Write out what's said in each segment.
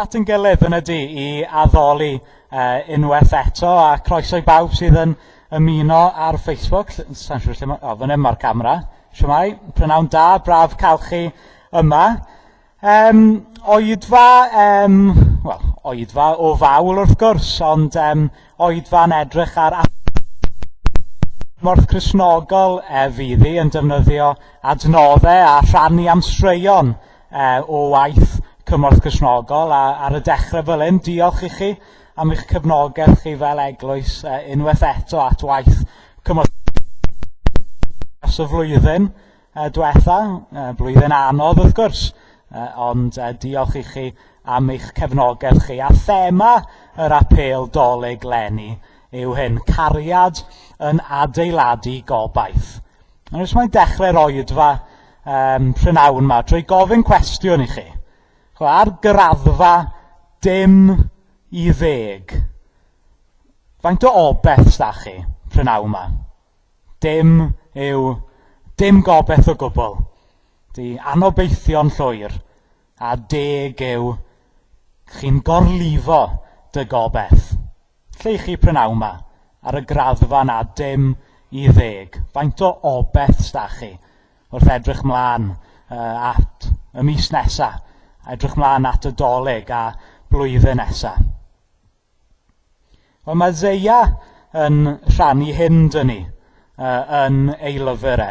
At yn gilydd yn y du i addoli unwaith eto, a croeso i bawb sydd yn ymuno ar Facebook. Sa'n siŵr lle mae... O, fan hyn mae'r camera. Shwmae, prynawn da, braf cael chi yma. Oedfa, wel, oedfa o fawl wrth gwrs, ond oedfa'n edrych ar Cymorth Cristnogol fydd hi yn defnyddio adnoddau a rhannu am straeon o waith Cymorth Cristnogol, a ar y dechrau fel hyn, diolch i chi am eich cefnogaeth chi fel eglwys unwaith eto at waith Cymorth dros y flwyddyn diwetha, blwyddyn anodd wrth gwrs, ond diolch i chi am eich cefnogaeth chi. A thema yr apêl Dolig leni yw hyn, cariad yn adeiladu gobaith. Ond jyst mae'n dechrau'r oedfa prynawn yma drwy gofyn cwestiwn i chi. Chwa, ar graddfa 0 i 10, faint o obaith sda chi prynawn yma? Dim yw dim gobaith o gwbl. Di anobeithio'n llwyr, a 10 yw chi'n gorlifo dy gobaith. Lle i chi prynawn yma, ar y graddfa na 0 i 10? Faint o obaith sda chi wrth edrych mlaen at y mis nesa, edrych mlaen at y Dolig a blwyddyn nesa? Wel, mae Eseia yn rhannu hyn dyn ni yn ei lyfr e,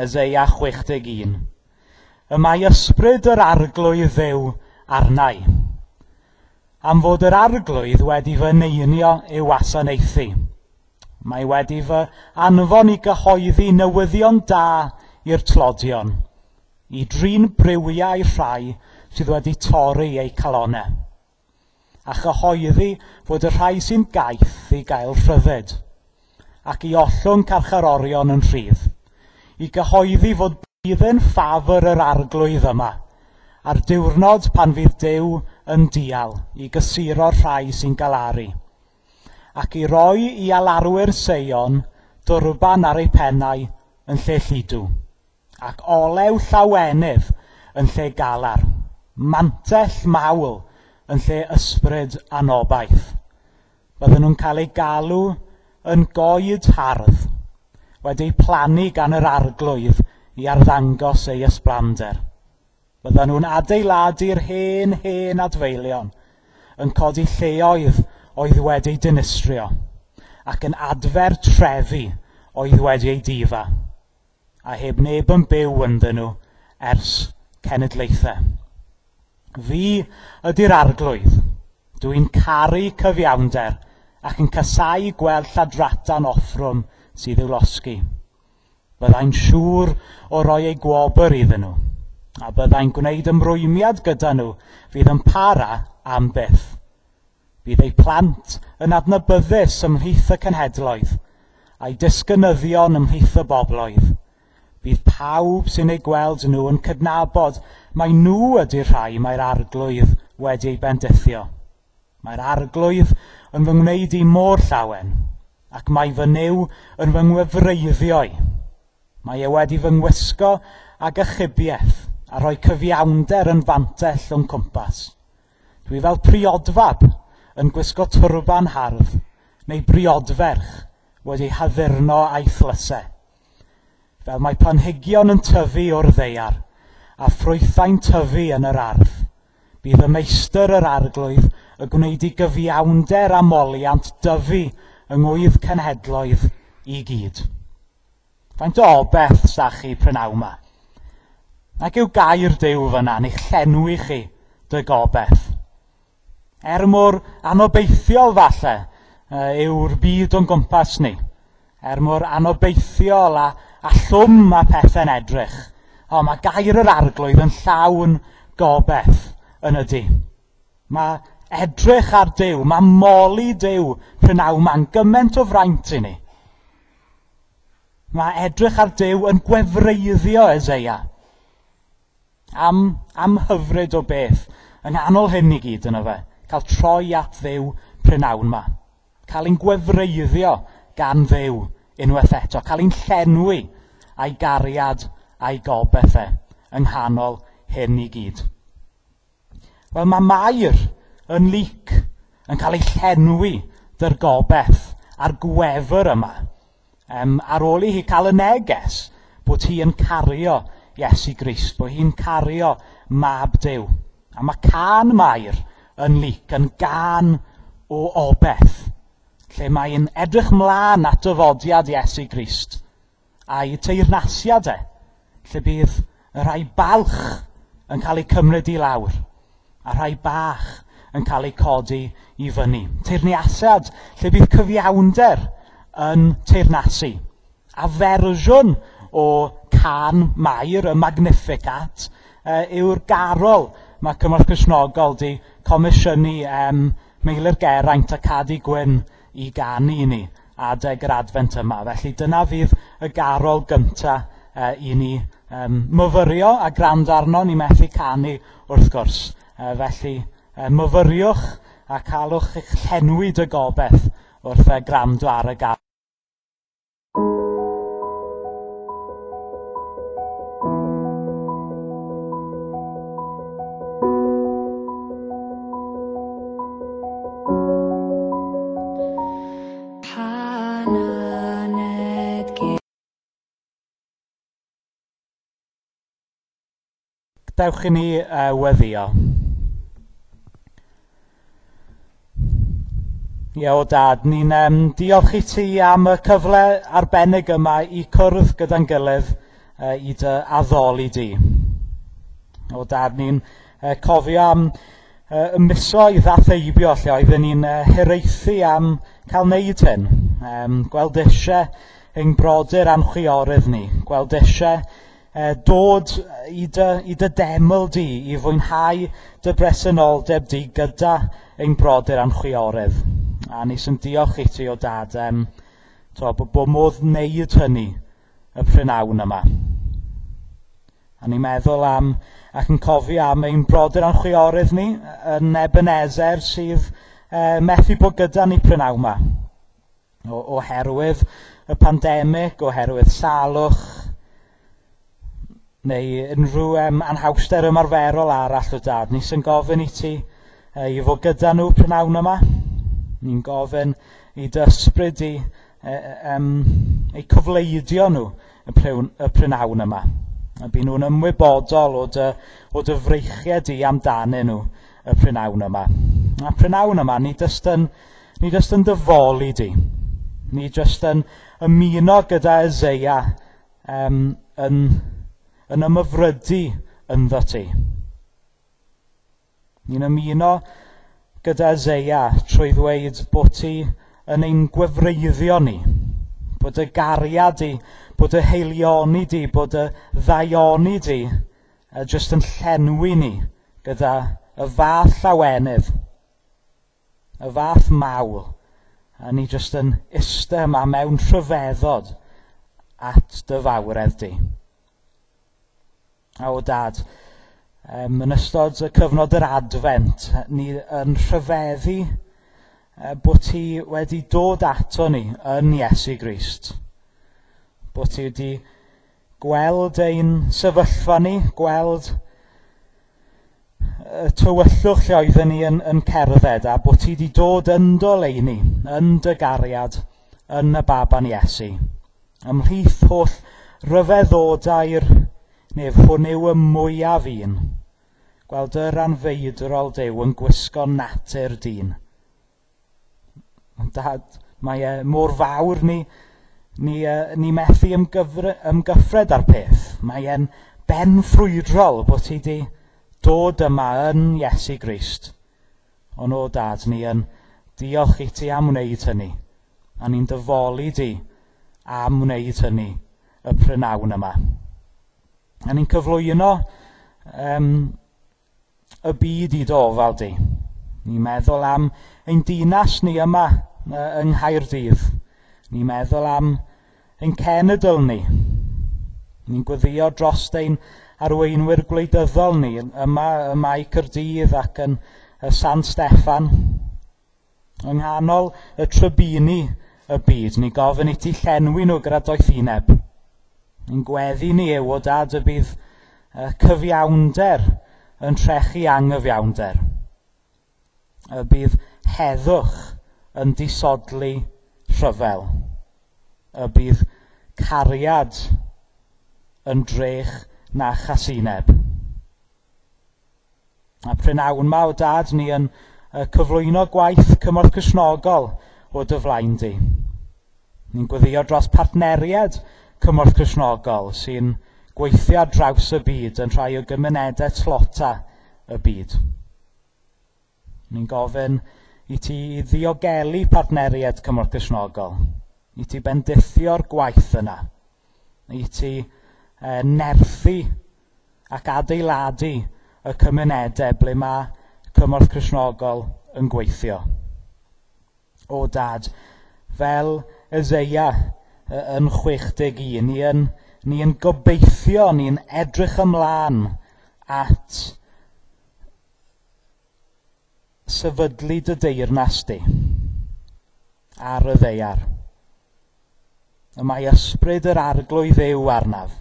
Eseia 61. Y mae ysbryd yr Arglwydd Dduw arna i, am fod yr Arglwydd wedi fy neinio i'w wasanaethu. Mae wedi fy anfon i gyhoeddi newyddion da i'r tlodion, i drin briwiau rhai sydd wedi torri eu calonnau, a chyhoeddi fod y rhai sy'n gaeth i gael rhyddid, ac i ollwng carcharorion yn rhydd, i gyhoeddi fod blwyddyn ffafr yr Arglwydd yma, a'r diwrnod pan fydd Duw yn dial i gysuro'r rhai sy'n galaru, ac i roi i alarwyr Seion dwrban ar eu pennau yn lle lludw, ac olew llawenydd yn lle galar, mantell mawl yn lle ysbryd anobaith. Bydden nhw'n cael eu galw yn goed hardd, wedi'u plannu gan yr Arglwydd i arddangos ei ysblander. Bydden nhw'n adeiladu'r hen, hen adfeilion, yn codi lleoedd oedd wedi'u dinistrio, ac yn adfer trefi oedd wedi eu difa, a heb neb yn byw ynddyn nhw ers cenedlaethau. Fi ydy'r Arglwydd. Dwi'n caru cyfiawnder ac yn casáu gweld lladrata'n offrwm sydd i'w losgi. Byddai'n siŵr o roi ei gwobr iddyn nhw, a byddai'n gwneud ymrwymiad gyda nhw fydd yn para am byth. Bydd eu plant yn adnabyddus ymhlith y cenhedloedd, a'i disgynyddion ymhlith y bobloedd. Bydd pawb sy'n eu gweld nhw yn cydnabod mai nhw ydy'r rhai mae'r Arglwydd wedi eu bendithio. Mae'r Arglwydd yn fy ngwneud i mor llawen, ac mae fy Nuw yn fy ngwefreiddio i. Mae e wedi fy ngwisgo ag achubiaeth a rhoi cyfiawnder yn fantell o'n cwmpas. Dwi fel priodfab yn gwisgo twrban hardd, neu briodferch wedi haddurno a'i thlysau. Fel mae planhigion yn tyfu o'r ddaear, a ffrwythau'n tyfu yn yr ardd, bydd y meistr yr Arglwydd y gwneud i gyfiawnder a moliant dyfu yng ngwydd cenhedloedd i gyd. Faint o obaith sda chi prynawn yma? Ac yw gair Duw fyna yn eich llenwi chi dy gobaith? Er mor anobeithiol falle yw'r byd o'n gwmpas ni, er mor anobeithiol a llwm mae pethau'n edrych, o, mae gair yr Arglwydd yn llawn gobaith yn ydy. Mae edrych ar Duw, mae moli Duw prynawn ma'n gymaint o fraint i ni. Mae edrych ar Duw yn gwefreiddio Eseia. Am hyfryd o beth, yng nghanol hyn i gyd yno fe, cael troi at Dduw prynawn ma. Cael ein gwefreiddio gan Dduw unwaith eto, cael ein llenwi a'i gariad a'i gobaith e yng nghanol hyn i gyd. Wel, mae Mair yn Luc yn cael ei llenwi dy'r gobeith a'r gwefr yma. Ar ôl i hi cael y neges bod hi yn cario Iesu Grist, bod hi'n cario Mab Duw. A mae cân Mair yn Luc yn gân o obeith, lle mae'n edrych mlaen at dyfodiad Iesu Grist a'i teyrnasiad e, lle bydd y rhai balch yn cael eu cymryd i lawr a rhai bach yn cael eu codi i fyny. Teyrnasiad lle bydd cyfiawnder yn teyrnasu. A fersiwn o cân Mair, y Magnificat, yw'r garol mae Cymorth Cristnogol 'di comisiynu Meilir Geraint a Cadi Gwyn i ganu i ni adeg yr Adfent yma. Felly dyna fydd y garol gynta i ni myfyrio a gwrando arno. Ni methu canu wrth gwrs. Felly myfyriwch a calwch eich llenwi dy gobeith wrth gwrando ar y garol. Pan aned Dewch i ni weddio. Ie, o Dad, ni'n diolch i ti am y cyfle arbennig yma i cwrdd gyda'n gilydd i dy addoli di. O Dad, ni'n cofio am y misoedd a theibio lle oedden ni'n hiraethu am cael wneud hyn. Gweld eisiau ein brodyr a'n chwiorydd ni, gweld eisiau dod i dy deml di, i fwynhau dy bresenoldeb di gyda ein brodyr a'n chwiorydd. A ni sy'n diolch i ti o Dad, bod modd wneud hynny y prynhawn yma. A ni'n meddwl am ac yn cofio am ein brodyr a'n chwiorydd ni yn Ebenezer sydd methu bod gyda ni prynhawn yma. Oherwydd y pandemig, oherwydd salwch, neu unrhyw anhawster ymarferol arall o Dad. Ni sy'n gofyn i ti i fod gyda nhw prynhawn yma. Ni'n gofyn i dy ysbryd i eu cofleidio nhw y prynhawn yma. A by nhw'n ymwybodol o dy freichiau di amdanyn nhw y prynhawn yma. A prynhawn yma, ni jyst yn dyfoli di. Ni jyst yn ymuno gyda Eseia yn ymhyfrydu ynddo ti. Ni'n ymuno gyda Eseia trwy ddweud bod ti yn ein gwefreiddio ni, bod y gariad di, bod y haelioni di, bod y ddaioni di jyst yn llenwi ni gyda y fath llawenydd, y fath mawl, a ni jyst yn iste yma mewn rhyfeddod at dy fawredd di. A o Dad, yn ystod y cyfnod yr Adfent, ni yn rhyfeddu bod ti wedi dod ato ni yn Iesu Grist. Bod ti wedi gweld ein sefyllfa ni, gweld y tywyllwch lle oedden ni yn cerdded, a bod ti wedi dod yn dy oleuni, yn dy gariad, yn y baban Iesu. Ymhlith holl ryfeddodau'r nef, hwn yw y mwyaf un. Gweld yr anfeidrol Duw yn gwisgo natur dyn. Ond Dad, mae e mor fawr ni methu ymgyffred â'r peth. Mae e'n benffrwydrol bod ti wedi dod yma yn Iesu Grist. Ond o Dad, ni yn diolch i ti am wneud hynny. A ni'n dyfoli di am wneud hynny y prynhawn yma. A ni'n cyflwyno y byd i dy ofal di. Ni'n meddwl am ein dinas ni yma yng Nghaerdydd. Ni'n meddwl am ein cenedl ni. Ni'n gweddio dros ein arweinwyr gwleidyddol ni yma ym Mae Caerdydd ac yn San Steffan. Yng nghanol y trybini y byd, ni gofyn i ti llenwi nhw gyda doethineb. Ni'n gweddi ni yw o Dad y bydd cyfiawnder yn trechu anghyfiawnder. Y bydd heddwch yn disodli rhyfel. Y bydd cariad yn drech na chasineb. A prynawn ma o dad ni yn cyflwyno gwaith cymorth Cristnogol o dy flaen di. Ni'n gweddio dros partneriaid cymorth Cristnogol sy'n gweithio ar draws y byd yn rhai o gymunedau tlota y byd. Ni'n gofyn i ti ddiogelu partneriaid cymorth Cristnogol, i ti bendithio'r gwaith yna, i ti nerthu ac adeiladu y cymunedau ble mae cymorth Cristnogol yn gweithio. O dad, fel Eseia yn 61, ni yn gobeithio, ni'n edrych ymlaen at sefydlu dy deyrnas di ar y ddaear. Y mae ysbryd yr arglwydd Dduw arnaf,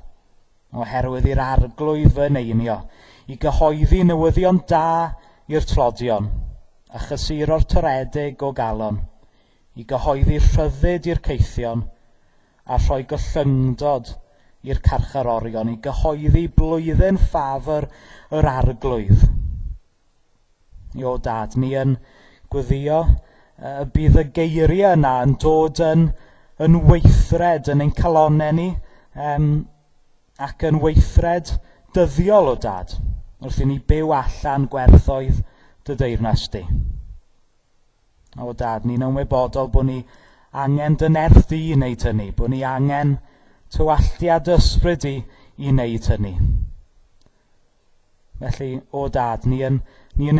oherwydd i'r arglwydd fy neinio, i gyhoeddi newyddion da i'r tlodion, a chysuro'r toredig o galon, i gyhoeddi rhyddid i'r caethion, a rhoi gollyngdod i'r carcharorion, i gyhoeddi blwyddyn ffafr yr arglwydd. O dad, ni yn gweddio y bydd y geiriau yna yn dod yn weithred yn ein calonnau ni, ac yn weithred dyddiol o dad, wrth i ni byw allan gwerthoedd dy deyrnas di. O dad, ni'n ymwybodol bod ni angen dy nerth di i wneud hynny, bod ni angen tywalltiad ysbryd di i wneud hynny. Felly, o dad, ni yn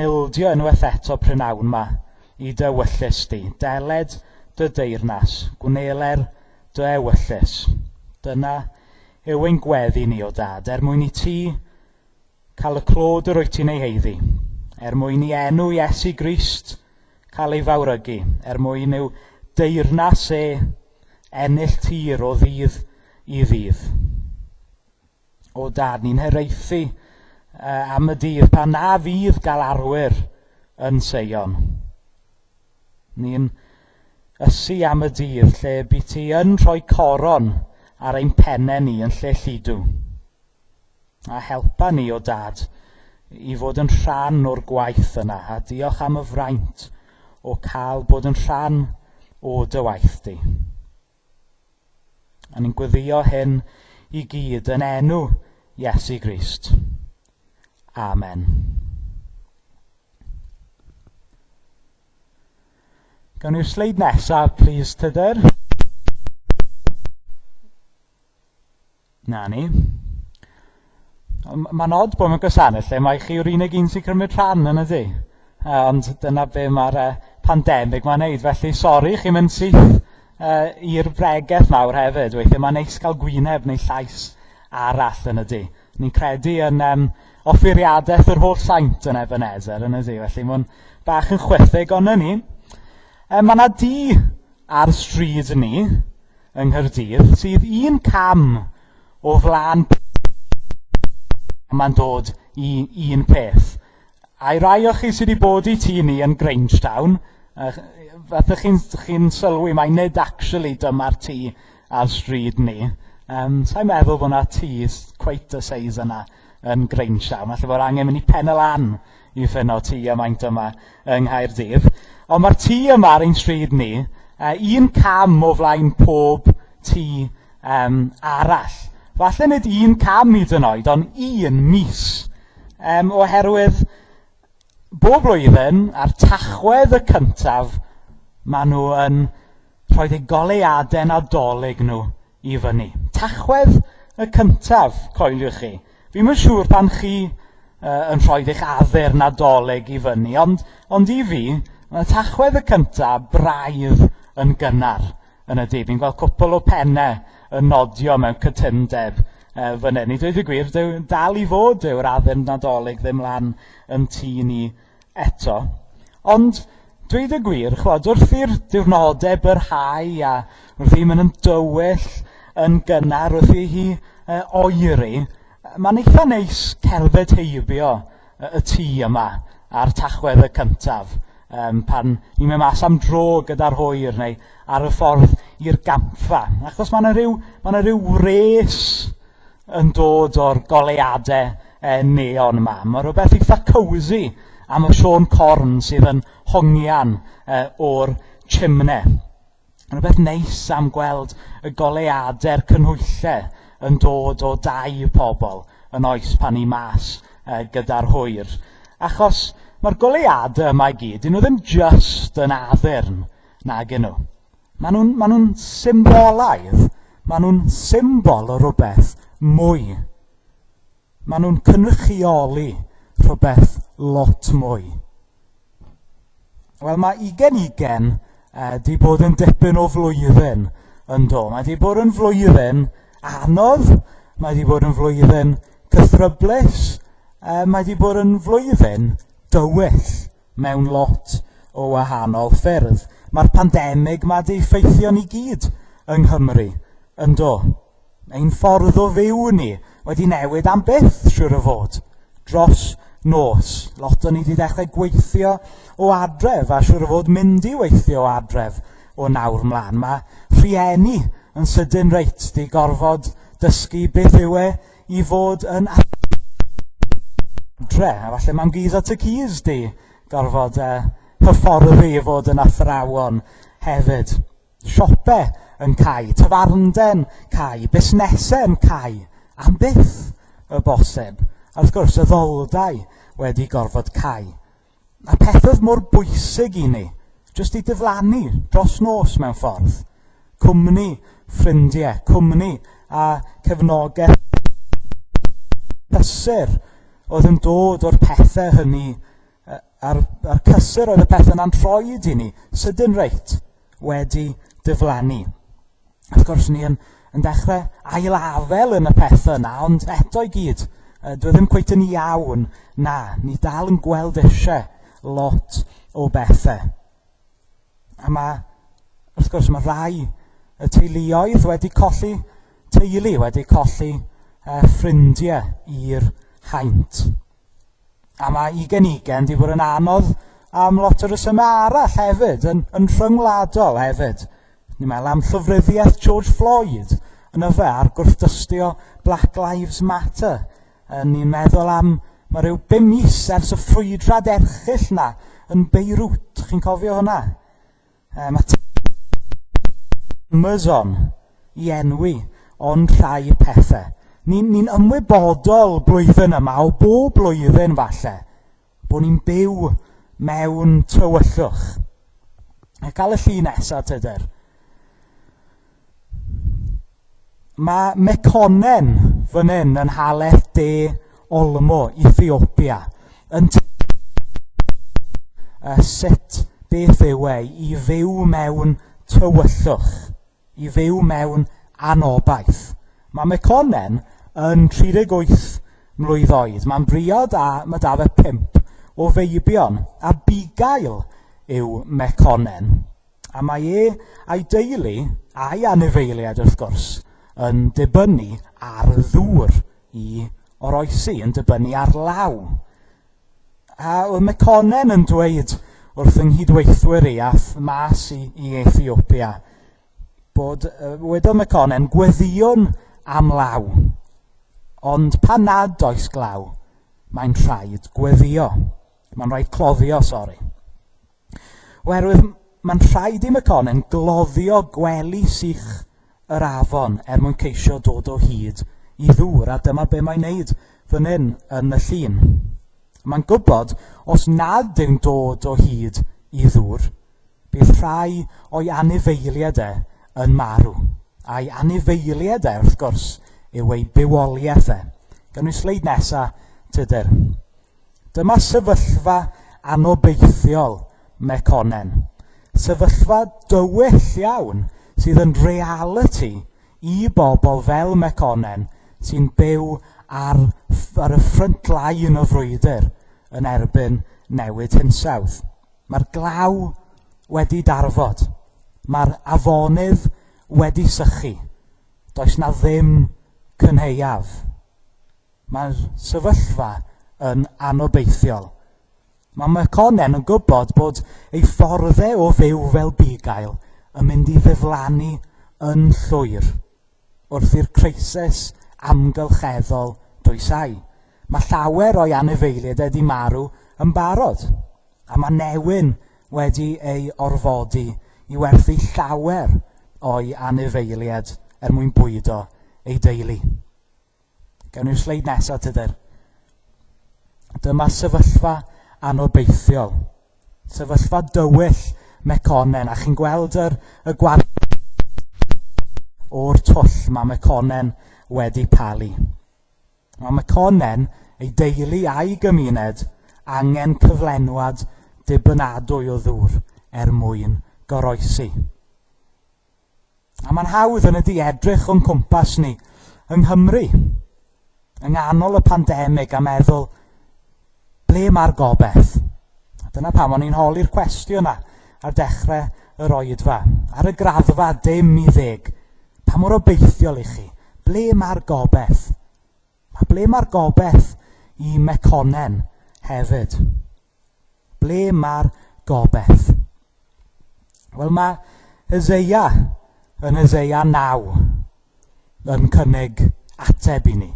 ildio unwaith eto prynawn ma i dy ewyllys di. Deled dy deyrnas, gwneler dy ewyllys. Dyna yw ein gweddi ni, o dad, er mwyn i ti cael y clod yr wyt ti'n ei heiddi, er mwyn i enw Iesu Grist cael ei fawrygu, er mwyn i'w deyrnas e ennill tir o ddydd i ddydd. O dad, ni'n hiraethu am y dydd pan na fydd galarwyr yn Seion. Ni'n ysu am y dydd lle by ti yn rhoi coron ar ein pennau ni yn lle lludw. A helpa ni o dad i fod yn rhan o'r gwaith yna, a diolch am y fraint o cael bod yn rhan o dy waith di. A ni'n gweddio hyn i gyd yn enw Iesu Grist. Amen. Gawn ni'r sleid nesaf, please, Tudur. Na ni. Mae'n od bod mewn gwasanaeth lle mae chi yw'r unig un sy'n cymryd rhan yn ydy. Ond dyna be mae'r pandemig mae'n neud. Felly, sori, chi'n mynd syth i'r bregeth nawr hefyd. Weithiau mae'n neis cael gwyneb neu llais arall yn ydy. Ni'n credu yn offeiriadaeth yr holl saint yn Ebenezer yn ydy. Felly mae'n bach yn chwithig, ond ni. Mae yna dŷ ar stryd ni yng Nghaerdydd sydd un cam o flaen mae'n dod i un peth. A i rai o chi sydd wedi bod i tŷ ni yn Grangetown, fatha chi'n sylwi mai nid actually dyma'r tŷ ar stryd ni. Sai'n meddwl bod yna tŷ quite y size yna yn Grangetown. Falle bod angen mynd i Pen y Lan i ffynno tŷ y maint yma yng Nghaerdydd. Ond mae'r tŷ yma ar ein stryd ni, un cam o flaen pob tŷ arall. Falle nid un cam hyd yn oed, ond un mis. Oherwydd bob blwyddyn, ar Tachwedd y cyntaf, maen nhw yn rhoi eu goleuadau Nadolig nhw i fyny. Tachwedd y cyntaf, coeliwch chi. Fi'm yn siŵr pan chi yn rhoi eich addur Nadolig i fyny, ond i fi, mae Tachwedd y cyntaf braidd yn gynnar yn y dydd. Fi'n gweld cwpl o pennau yn nodio mewn cytundeb fan hyn. I dweud y gwir, dal i fod yw'r addurn Nadolig ddim lan yn tŷ ni eto. Ond dweud y gwir, chwod, wrth i'r diwrnodau byrhau a wrth i mynd yn dywyll yn gynnar, wrth i hi oeri, mae'n eitha neis cerdded heibio y tŷ yma ar Tachwedd y cyntaf, pan ni'n mynd mas am dro gyda'r hwyr neu ar y ffordd i'r gampfa. Achos mae yna rhyw, ma rhyw wres yn dod o'r goleuadau neon yma. Mae rhywbeth eitha cozy am y Siôn Corn sydd yn hongian o'r chimne. Rhywbeth neis am gweld y goleuadau'r canhwyllau yn dod o dai pobl yn oes pan ni mas gyda'r hwyr. Achos mae'r goleuadau yma i gyd, dyn nhw ddim just yn addurn, nag nhw. Maen nhw'n ma nhw symbolaidd, maen nhw'n symbol o rhywbeth mwy. Maen nhw'n cynrychioli rhywbeth lot mwy. Wel, mae 2020 di bod yn dipyn o flwyddyn yn do. Mae di bod yn flwyddyn anodd, mae di bod yn flwyddyn cythryblus, mae di bod yn flwyddyn dywyll mewn lot o wahanol ffyrdd. Mae'r pandemig ma di effeithio ni gyd yng Nghymru, yn do. Ein ffordd o fyw ni wedi newid am byth, siŵr o fod, dros nos. Lot o ni wedi dechrau gweithio o adref a siŵr o fod mynd i weithio o adref o nawr mlaen. Mae rhieni yn sydyn reit di gorfod dysgu beth yw e i fod yn adre. A falle mam-gus a tad-cus di gorfod hyfforddi i fod yn athrawon hefyd. Siope yn cau, tafarndau'n cau, busnesau'n cau, am byth y bosib. A wrth gwrs, addoldai wedi gorfod cau. A pethau mor bwysig i ni, jyst i diflannu dros nos mewn ffordd. Cwmni ffrindiau, cwmni a cefnogaeth cysur oedd yn dod o'r pethau hynny, a'r cysur oedd y pethau yna'n rhoid i ni, sydyn reit, wedi diflannu. Wrth gwrs, ni yn dechrau ailafel yn y pethau yna, ond eto i gyd, dwi ddim cweit yn iawn, na, ni dal yn gweld eisiau lot o bethau. A mae, wrth gwrs, mae rai y teuluoedd wedi colli teulu, wedi colli ffrindiau i'r haint. A mae 2020 wedi bod yn anodd am lot o resymau arall hefyd, yn rhyngwladol hefyd. Ni'n meddwl am llofruddiaeth George Floyd yn y fe a'r gwrthdystio Black Lives Matter. Ni'n meddwl am, mae rhyw 5 mis ers y ffrwydrad erchyll na yn Beirut. Chi'n cofio hwnna? Mae Amazon i enwi ond rhai pethau. Ni'n ymwybodol blwyddyn yma, o bob blwyddyn falle, bod ni'n byw mewn tywyllwch. A gael y llun nesaf, Tudur. Mae Mekonnen fan hyn yn Haleth De Olmo, Ethiopia, yn sut beth yw e i fyw mewn tywyllwch, i fyw mewn anobaith. Mae Mekonnen yn 38 mlwydd oed. Mae'n briod a mae da fe 5 o feibion. A bugail yw Mekonnen. A mae e a'i deulu a'i anifeiliaid wrth gwrs yn dibynnu ar ddŵr i oroesi, yn dibynnu ar law. A oedd Mekonnen yn dweud wrth yng nghydweithwyr i ath mas i Ethiopia bod, wedodd Mekonnen, gweddïwn am law. Ond pan nad oes glaw, mae'n rhaid gweddio. Mae'n rhaid cloddio, sori. Oherwydd mae'n rhaid i Mekonnen gloddio gwely sych yr afon er mwyn ceisio dod o hyd i ddŵr, a dyma be mae'n neud fan hyn yn y llun. Mae'n gwybod os nad yw'n dod o hyd i ddŵr, bydd rhai o'i anifeiliaid e yn marw. A'i anifeiliaid e, wrth gwrs, yw ei bywoliaeth e. Gawn ni sleid nesa, Tudur. Dyma sefyllfa anobeithiol Mekonnen. Sefyllfa dywyll iawn sydd yn reality i bobl fel Mekonnen sy'n byw ar y front line o frwydr yn erbyn newid hinsawdd. Mae'r glaw wedi darfod. Mae'r afonydd wedi sychu. Does na ddim cynhaeaf. Mae'r sefyllfa yn anobeithiol. Mae Mekonnen yn gwybod bod ei fforddau o fyw fel bugail yn mynd i ddiflannu yn llwyr wrth i'r creisis amgylcheddol dwysau. Mae llawer o'i anifeiliaid wedi marw yn barod, a mae newyn wedi ei orfodi i werthu llawer o'i anifeiliaid er mwyn bwydo ei deulu. Gawn ni'r sleid nesaf, Tudur. Dyma sefyllfa anobeithiol. Sefyllfa dywyll Mekonnen, a chi'n gweld y gwarth o'r twll mae Mekonnen wedi palu. Mae Mekonnen, ei deulu a'i gymuned, angen cyflenwad dibynadwy o ddŵr er mwyn goroesi. A mae'n hawdd yn ydi edrych o'n cwmpas ni yng Nghymru, yng nghanol y pandemig, a meddwl, ble mae'r gobaith? A dyna pam o'n i'n holi'r cwestiwn yna ar dechrau yr oedfa. Ar y graddfa 0 i 10, pa mor obeithiol i chi? Ble mae'r gobaith? A ble mae'r gobaith i Mekonnen hefyd? Ble mae'r gobaith? Wel, mae Eseia yn Eseia 9 yn cynnig ateb i ni.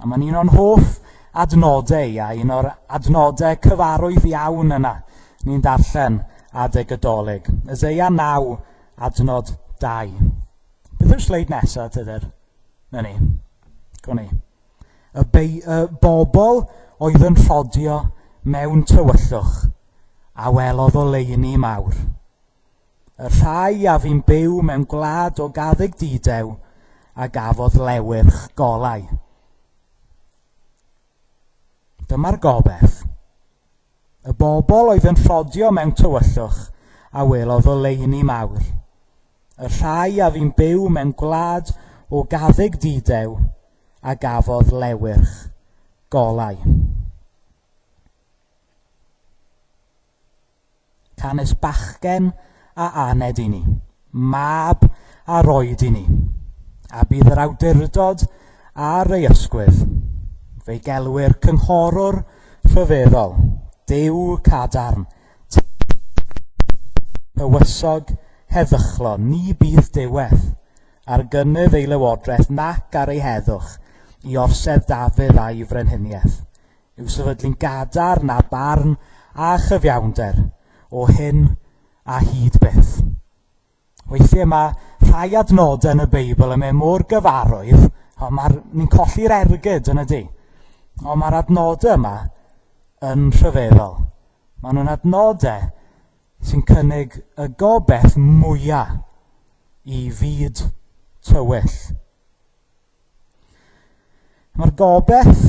A mae'n un o'n hoff adnodau, a un o'r adnodau cyfarwydd iawn yna ni'n darllen adeg y Dolig. Eseia 9, adnod 2. Beth yw'r sleid nesaf, Tudur? Na ni. Go ni. Y bobl oedd yn rhodio mewn tywyllwch a welodd oleuni mawr. Y rhai a fu'n byw mewn gwlad o gaddug didew a gafodd lewyrch golau. Dyma'r gobaith. Y bobl oedd yn rhodio mewn tywyllwch a welodd oleuni mawr. Y rhai a fu'n byw mewn gwlad o gaddug didew a gafodd lewyrch golau. Canys bachgen a aned i ni, mab a roed i ni, a bydd yr awdurdod ar ei ysgwydd. Fe'i gelwir cynghorwr rhyfeddol, Duw cadarn, tywysog heddychlon, ni bydd diwedd ar gynnydd ei lywodraeth nac ar ei heddwch i orsedd Dafydd a'i frenhiniaeth, i'w sefydlu'n gadarn a barn a chyfiawnder o hyn a hyd byth. Weithiau mae rhai adnodau yn y Beibl yn mynd mor gyfarwydd, ond ni'n colli'r ergyd yn y di. Ond mae'r adnodau yma yn rhyfeddol. Maen nhw'n adnodau sy'n cynnig y gobaith mwyaf i fyd tywyll. Mae'r gobaith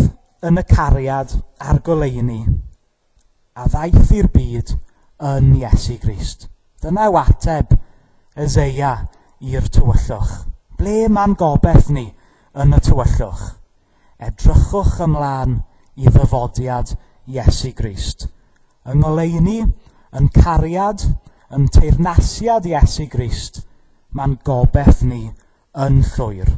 yn y cariad a'r goleuni a ddaeth i'r byd yn Iesu Grist. Dyna yw ateb Eseia i'r tywyllwch. Ble mae'n gobaith ni yn y tywyllwch? Edrychwch ymlaen i ddyfodiad Iesu Grist. Yng ngoleuni, yn cariad, yn teyrnasiad Iesu Grist, mae'n gobaith ni yn llwyr.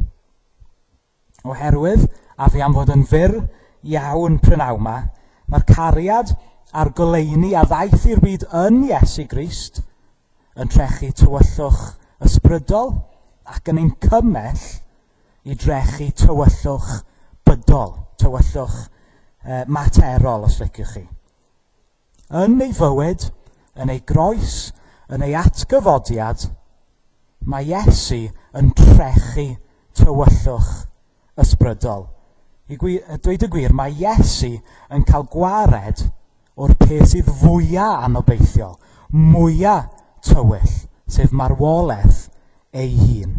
Oherwydd, a fi am fod yn fyr iawn prynawn 'ma, mae'r cariad a'r goleuni a ddaeth i'r byd yn Iesu Grist yn trechu tywyllwch ysbrydol ac yn ein cymell i drechu tywyllwch bydol, tywyllwch materol, os liciwch chi. Yn ei fywyd, yn ei groes, yn ei atgyfodiad, mae Iesu yn trechu tywyllwch ysbrydol. I dweud y gwir, mae Iesu yn cael gwared o'r peth sydd fwyaf anobeithiol, mwyaf tywyll, sef marwolaeth ei hun.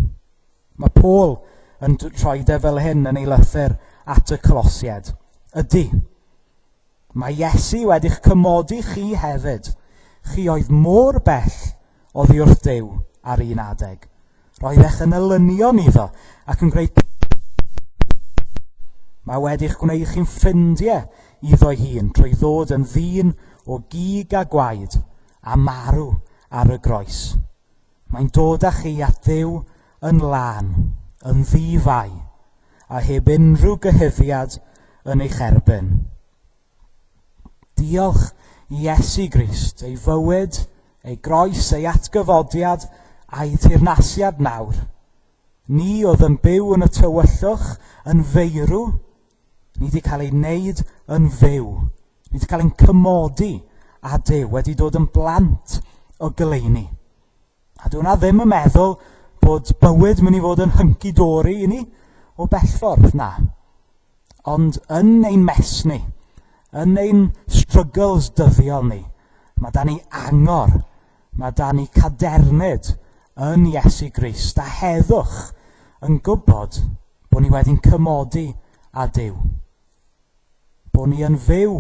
Mae Paul yn troi de fel hyn yn ei lythyr at y Colosiaid. Ydy, mae Iesu wedi'ch cymodi chi hefyd. Chi oedd mor bell oddi wrth Duw ar un adeg. Roeddech yn elynion iddo ac yn gwneud... Mae wedi'ch gwneud chi'n ffrindiau iddo'i hun trwy ddod yn ddyn o gig a gwaed a marw ar y groes. Mae'n dod â chi at Dduw yn lân, yn ddifai, a heb unrhyw gyhuddiad yn eich erbyn. Diolch i Iesu Grist, ei fywyd, ei groes, ei atgyfodiad a'i teyrnasiad nawr. Ni oedd yn byw yn y tywyllwch, yn feirw, ni wedi cael ei wneud yn fyw. Ni wedi cael ein cymodi â Duw, wedi dod yn blant o goleuni. A dyw hwnna ddim yn meddwl bod bywyd mynd i fod yn hunky-dory i ni o bell ffordd, na. Ond yn ein mess ni, yn ein struggles dyddiol ni, mae da ni angor, mae da ni cadernid yn Iesu Grist a heddwch yn gwybod bod ni wedi'n cymodi â Duw. Bod ni yn fyw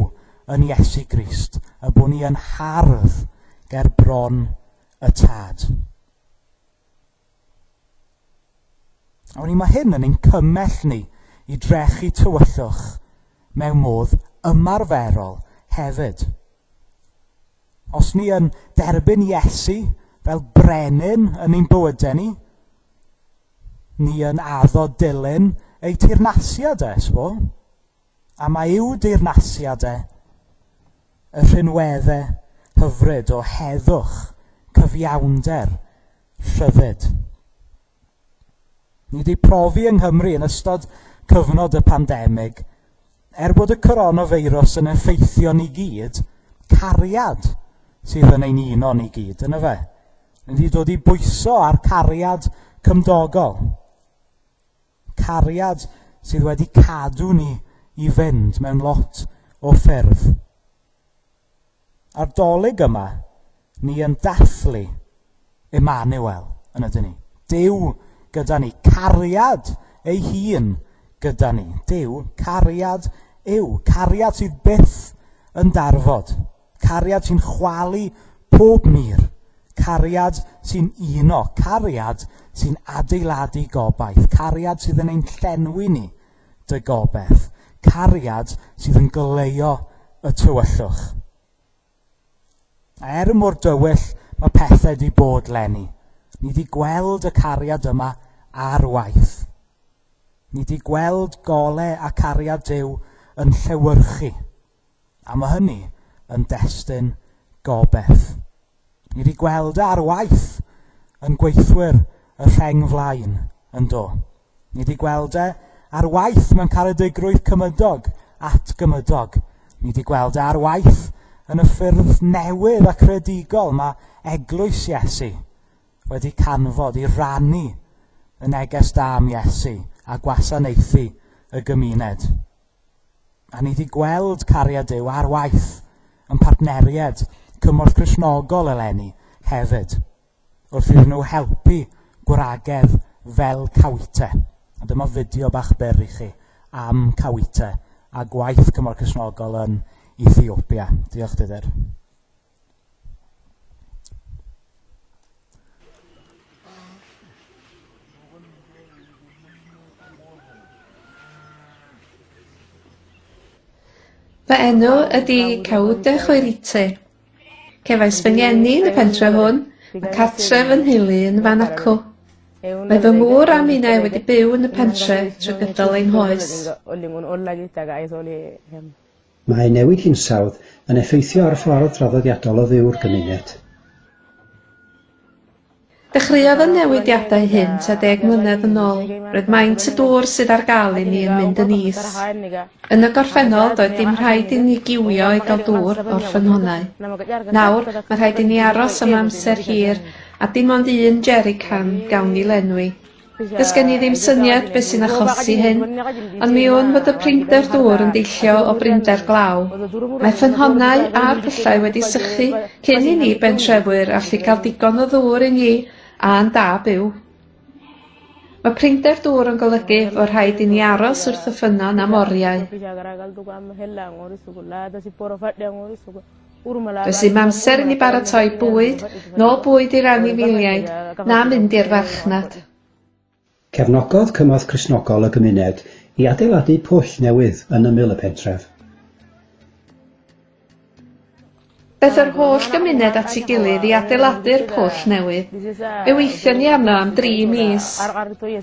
yn Iesu Grist a bod ni yn hardd ger bron y Tad. A wedi mae hyn yn ein cymell ni i drechu tywyllwch mewn modd ymarferol hefyd. Os ni yn derbyn Iesu fel brenin yn ein bywydau ni, ni yn addo dilyn ei teyrnasiad e, sbo. A mae i'w deyrnasiad e y rhinweddau hyfryd o heddwch, cyfiawnder, rhyddid. Ni wedi profi yng Nghymru yn ystod cyfnod y pandemig, er bod y coronavirus yn effeithio ni gyd, cariad sydd yn ein uno ni gyd, yna fe. Ni wedi dod i bwyso ar cariad cymdogol. Cariad sydd wedi cadw ni i fynd mewn lot o ffyrdd. A'r Dolig yma, ni yn dathlu Emmanuel yn ydyn ni. Duw gyda ni, cariad ei hun gyda ni. Duw, cariad yw, cariad sydd byth yn darfod, cariad sy'n chwalu pob mur, cariad sy'n uno, cariad sy'n adeiladu gobaith, cariad sydd yn ein llenwi ni dy gobaith, cariad sydd yn goleuo y tywyllwch. A er mor dywyll mae pethau wedi bod leni, ni wedi gweld y cariad yma ar waith. Ni wedi gweld gole a cariad Duw yn llewyrchu. A mae hynny yn destun gobaith. Ni wedi gweld e ar waith yn gweithwyr y rheng flaen yn do. Ni wedi gweld e ar waith mewn caredigrwydd cymydog at gymydog. Ni wedi gweld e ar waith yn y ffyrdd newydd a creadigol mae eglwys Iesu wedi canfod i rannu y neges da am Iesu a gwasanaethu y gymuned. A ni wedi gweld cariad Duw ar waith yn partneriaid Cymorth Cristnogol eleni hefyd, wrth iddyn nhw helpu gwragedd fel Cawite. A dyma fideo bach byr i chi am Cawite a gwaith Cymorth Cristnogol yn Ethiopia. Diolch, Didr. Fy enw ydy Cawde Chwerite. Cefais fy ngeni yn y pentre hwn, mae cartref fy nheulu yn fan acw. Mae fy ngŵr a minnau wedi byw yn y pentre trwy gydol ein hoes. Mae newid hinsawdd yn effeithio ar ffordd draddodiadol o fyw'r gymuned. Dechreuodd y newidiadau hyn tua 10 mlynedd yn ôl. Roedd maint y dŵr sydd ar gael i ni yn mynd yn is. Yn y gorffennol, doedd dim rhaid i ni giwio i gael dŵr o'r ffynhonnau. Nawr, mae rhaid i ni aros am amser hir a dim ond un jerrycan gawn ni lenwi. Does gen i ddim syniad beth sy'n achosi hyn, ond mi wn fod y prinder dŵr yn deillio o brinder glaw. Mae ffynhonnau a'r pyllau wedi sychu cyn i ni bentrefwyr allu cael digon o ddŵr i ni a'n da byw. Mae prinder dŵr yn golygu fod rhaid i ni aros wrth y ffynnon am oriau. Does dim amser i ni baratoi bwyd, nôl bwyd i'r anifeiliaid, na mynd i'r farchnad. Cefnogodd Cymorth Cristnogol y gymuned i adeiladu pwll newydd yn ymyl y pentref. Daeth yr holl gymuned at ei gilydd i adeiladu'r pwll newydd. Fe weithion ni arno am 3 mis.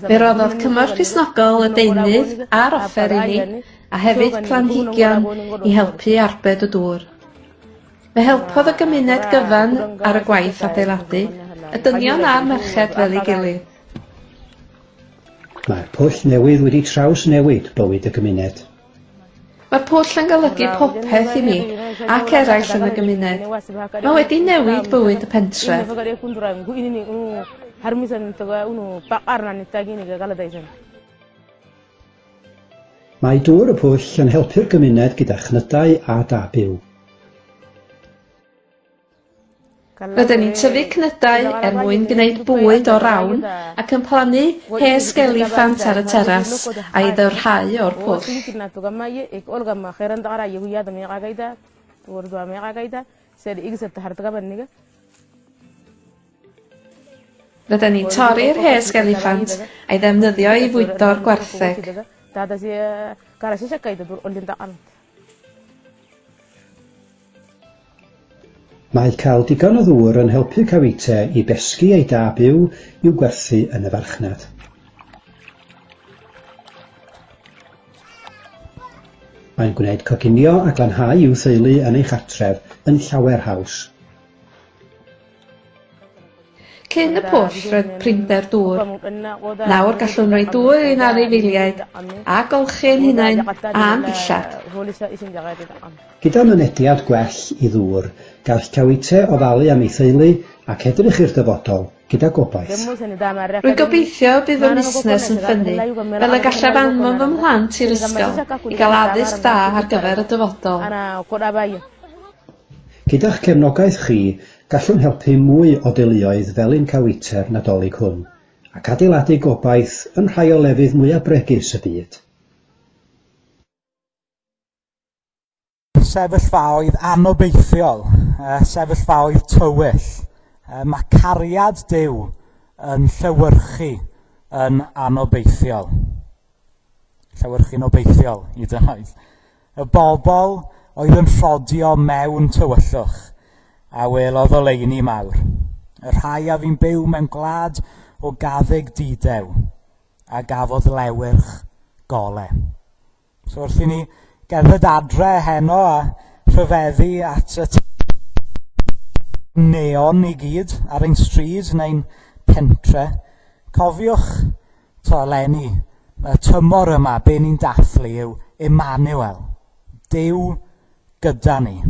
Fe roddodd Cymorth Cristnogol y deunydd a'r offer i ni, a hefyd planhigion i helpu arbed y dŵr. Fe helpodd y gymuned gyfan ar y gwaith adeiladu, y dynion a'r merched fel ei gilydd. Mae'r pwll newydd wedi trawsnewid bywyd y gymuned. Mae'r pwll yn golygu popeth i mi ac eraill yn y gymuned. Mae wedi newid bywyd y pentref. Mae dŵr y pwll yn helpu'r gymuned gyda chnydau a da byw. Rydyn ni'n tyfu cnydau er mwyn gwneud bwyd o rawn ac yn plannu hesg eliffant ar y teras a'i ddyfrhau o'r pwll. Rydyn ni'n torri'r hesg eliffant a'i ddefnyddio i fwydo'r gwartheg. Mae cael digon o ddŵr yn helpu Cawite i besgi ei da byw i'w gwerthu yn y farchnad. Mae'n gwneud coginio a glanhau i'w theulu yn ei chartref yn llawer haws. Cyn y pwll roedd prinder dŵr. Nawr gallwn roi dŵr i'n anifeiliaid a golchi ein hunain a'n dillad. Gyda mynediad gwell i ddŵr, gall Cawite ofalu am ei theulu ac edrych i'r dyfodol gyda gobaith. Rwy'n gobeithio bydd fy musnes yn ffynnu, fel y gallaf anfon fy mhlant i'r ysgol i gael addysg dda ar gyfer y dyfodol. Gyda'ch cefnogaeth chi, gallwn helpu mwy o deuluoedd fel un Cawite'r Nadolig hwn, ac adeiladu gobaith yn rhai o lefydd mwyaf bregus y byd. Sefyllfaoedd anobeithiol, sefyllfaoedd tywyll. Mae cariad Duw yn llewyrchu yn anobeithiol. Llewyrchu'n obeithiol, hyd yn oed. Y bobl oedd yn rhodio mewn tywyllwch a welodd oleuni mawr. Y rhai a fu'n byw mewn gwlad o gaddug didew a gafodd lewyrch gole. So wrth i ni gerdded adre heno a rhyfeddu at y neon i gyd ar ein stryd neu'n pentre, cofiwch to eleni, y tymor yma, be ni'n dathlu yw Emmanuel, Duw gyda ni.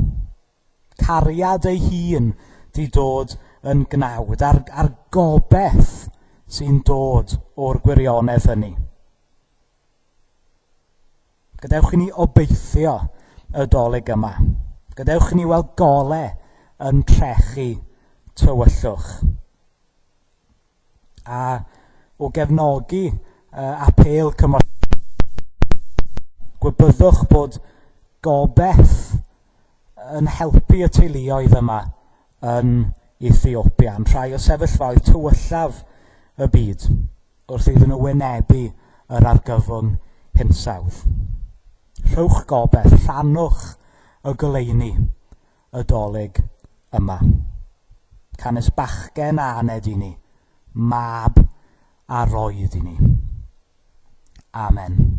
Cariad ei hun di dod yn gnawd, a'r gobaith sy'n dod o'r gwirionedd hynny. Gadewch i ni obeithio y Dolig yma. Gadewch i ni weld gole yn trechu tywyllwch. A o gefnogi apêl cymorth, gwybyddwch bod gobaith yn helpu y teuluoedd yma yn Ethiopia, yn rhai o sefyllfaoedd tywyllaf y byd, wrth iddyn nhw wynebu yr argyfwng hinsawdd. Rhowch gobaith, rhannwch y goleuni y Dolig yma. Canys bachgen a aned i ni, mab a roed i ni. Amen.